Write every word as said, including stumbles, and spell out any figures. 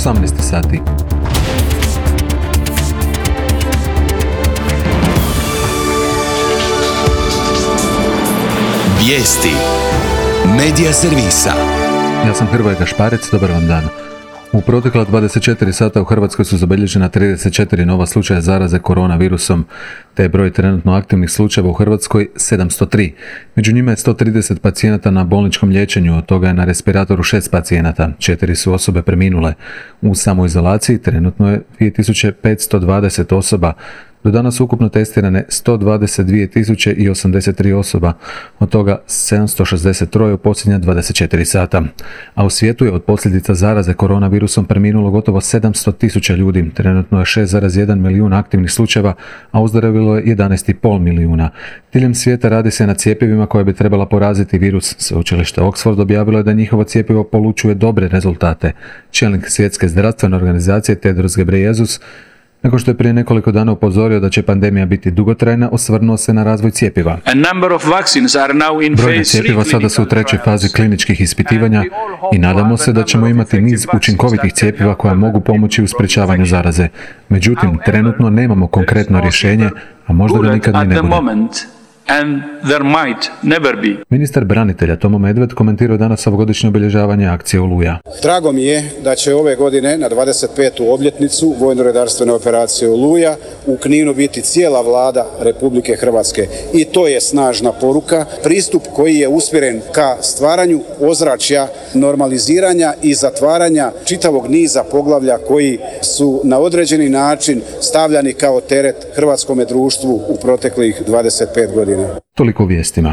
osamnaest sati. Vijesti Medija servisa. Ja sam Hrvoje Gašparec, dobar vam dan. U protekla dvadeset četiri sata u Hrvatskoj su zabilježena trideset četiri nova slučaja zaraze koronavirusom, te je broj trenutno aktivnih slučajeva u Hrvatskoj sedamsto tri. Među njima je sto trideset pacijenata na bolničkom liječenju, od toga je na respiratoru šest pacijenata, četiri su osobe preminule. U samoizolaciji trenutno je dvije tisuće petsto dvadeset osoba. Do danas ukupno testirane sto dvadeset dvije tisuće osamdeset tri osoba, od toga sedamsto šezdeset tri u posljednja dvadeset četiri sata. A u svijetu je od posljedica zaraze koronavirusom preminulo gotovo sedamsto tisuća ljudi, trenutno je šest zarez jedan milijun aktivnih slučajeva, a ozdravilo je jedanaest zarez pet milijuna. Diljem svijeta radi se na cjepivima koje bi trebala poraziti virus. Sveučilište Oxford objavilo je da njihovo cjepivo polučuje dobre rezultate. Čelnik Svjetske zdravstvene organizacije Tedros Ghebreyesus, nakon što je prije nekoliko dana upozorio da će pandemija biti dugotrajna, osvrnuo se na razvoj cjepiva. Brojna cjepiva sada su u trećoj fazi kliničkih ispitivanja i nadamo se da ćemo imati niz učinkovitih cjepiva koja mogu pomoći u sprječavanju zaraze. Međutim, trenutno nemamo konkretno rješenje, a možda ga nikad ni ne bude. And there might never be. Ministar branitelja Tomo Medved komentirao danas ovogodišnje obilježavanje akcije Oluja. Drago mi je da će ove godine na dvadeset petu obljetnicu vojno-redarstvene operacije Oluja u Kninu biti cijela vlada Republike Hrvatske. I to je snažna poruka, pristup koji je usmjeren ka stvaranju ozračja, normaliziranja i zatvaranja čitavog niza poglavlja koji su na određeni način stavljani kao teret hrvatskome društvu u proteklih dvadeset pet godina. Toliko u vijestima.